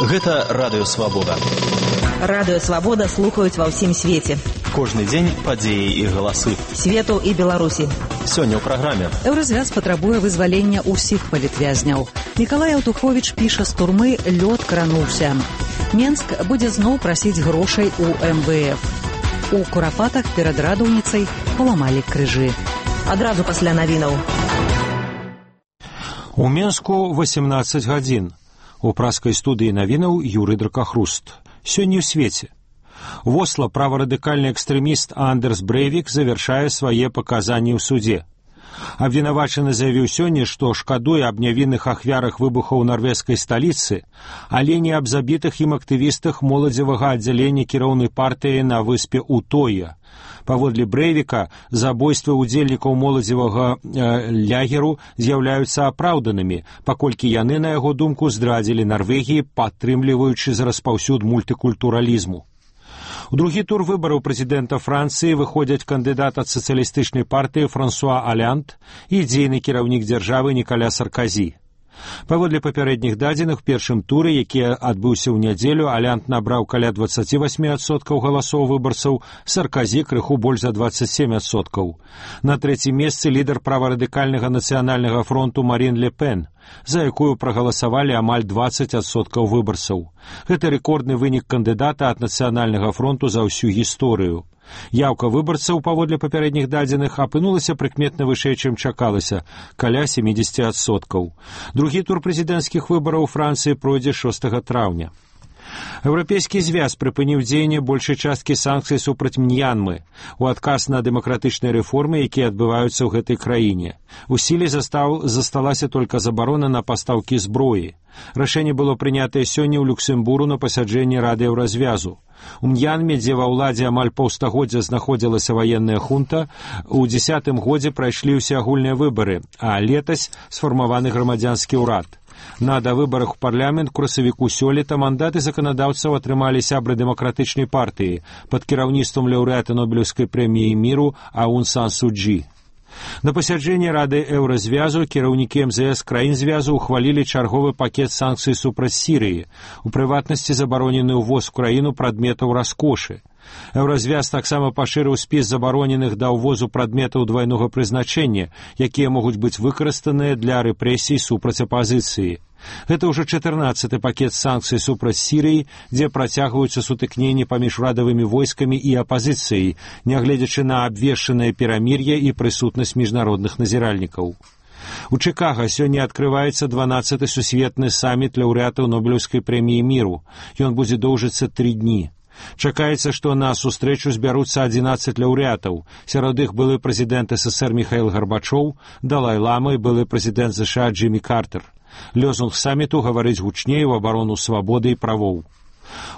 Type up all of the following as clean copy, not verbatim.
Гэта Радыё Свабода. Радыё Свабода слухаюць ва ўсім свеце. Кожны дзень падзеі і галасы Свету і Беларусі. Сёння ў праграме. Еўразвяз патрабуе вызвалення ўсіх палітвязняў. Мікалай Аўтуховіч піша з турмы «Лёд крануўся». Менск будзе зноў прасіць грошай у МВФ. У Курапатах перад радаўніцай паламалі крыжы. Адразу пасля навінаў. У Менску 18 гадзін. У праскай студыі навінаў Юрый Дракахруст. Сёння ў свеце. В Осло праворадыкальны экстрэміст Андерс Брейвік завяршае свае паказанні ў суде. Абвінавачаны заявіў сёння, што шкадуе аб нявінных ахвярах выбухаў у нарвежскай сталіцы, але не аб забітых ім актывістах моладзевага аддзялення кіроўнай партыі на выспе Утоя. Паводле Брейвіка, забойствы ўдзельнікаў моладзевага лягеру з'яўляюцца апраўданымі, паколькі яны, на яго думку, здрадзілі Нарвегіі, падтрымліваючы за распаўсюд мультыкультуралізму. У другі тур выбараў прэзідэнта Францыі выходзяць кандыдат ад сацыялістычнай партыі Франсуа Олянд і дзейны кіраўнік дзяржавы Нікаля Сарказі. Паводле папярэдніх дадзеных, у першым туры, які адбыўся ў нядзелю, Олянд набраў каля 28% галасоў выбарцаў, Сарказі крыху больш за 27%. На трэцім месцы лідар праварадыкальнага нацыянальнага фронту Марін Ле Пен, за якую прагаласавалі амаль 20% выбарцаў. Гэта рэкордны вынік кандыдата ад нацыянальнага фронту за ўсю гісторыю. Яўка выбарцаў, паводле папярэдніх дадзеных, апынулася прыкметна вышэй, чым чакалася, каля 70%. Другі тур прэзідэнцкіх выбараў у Францыі пройдзе 6 траўня. Еўрапейскі звяз прыпыніў дзеянне большай часткі санкцый супраць Мьянмы у адказ на дэмакратычныя рэформы, якія адбываюцца ў гэтай краіне. У сіле засталася толькі забарона на пастаўкі зброі. Рашэнне было прынятае сёння ў Люксембургу на пасяджэнні Рады Еўразвязу. У Мьянме, дзе ва ўладзе амаль паўстагоддзя знаходзілася ваенная хунта, у 10-м годзе прайшлі ўсеагульныя выбары, а летась сфармаваны грамадзянскі ўрад. На давыбарах у парламент красавіку сёлета мандаты заканадаўцаў атрымалі сябры дэмакратычнай партыі пад кіраўніцтвам лаўрэата Нобелеўскай прэміі міру Аун Сан Су Чжі. На пасяджэнні Рады Еўразвязу кіраўнікі МЗС краін звязу ухвалілі чарговы пакет санкцый супраць Сірыі, у прыватнасці забаронены ўвоз у краіну прадметаў раскошы. Еўразвяз таксама пашырыў спіс забароненых да ўвозу прадметаў двайнога прызначэння, якія могуць быць выкарыстаныя для рэпрэсій супраць апазіцыі. Гэта ўжо 14-ы пакет санкцый супраць Сірыі, дзе працягваюцца сутыкненні паміж урадавымі войскамі і апазіцыяй, нягледзячы на абвешчанае перамір'е і прысутнасць міжнародных назіральнікаў. У Чыкага сёння адкрываецца 12-ы сусветны саміт лаўрэатаў Нобелеўскай прэміі міру. Ён будзе доўжыцца 3 дні. Чакаецца, што на сустрэчу збяруцца 11 лаўрэатаў. Сярод іх былы прэзідэнт СССР Міхаіл Гарбачоў, Далай-лама і былы прэзідэнт ЗША Джиммі Картер. Лёзунг саміту гаварыць гучней у абарону свабоды і правоў.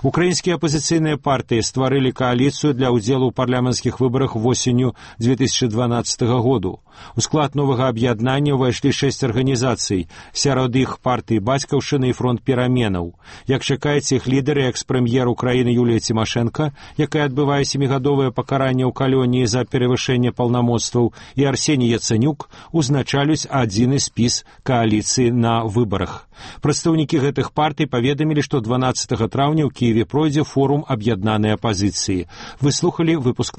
Украінскія апазіцыйныя партыі стварылі кааліцыю для ўдзелу ў парламенцкіх выбарах восенню 2012 году. У склад новага аб'яднання ўвайшлі 6 арганізацый, сярод іх партыі Бацькаўшчыны і фронт пераменаў. Як чакаецца, іх лідары, экс-прэм'ер Украіны Юлія Цімашэнка, якая адбывае 7гадовае пакаранне ў калоніі за перавышэнне паўнамоцтваў, і Арсеній Яцэнюк узначалюць адзіны спіс кааліцыі на выбарах. Прадстаўнікі гэтых партый паведамілі, што 12 траўня ў Кіеве пройдзе форум аб'яднанай апазіцыі. Выслухалі выпуск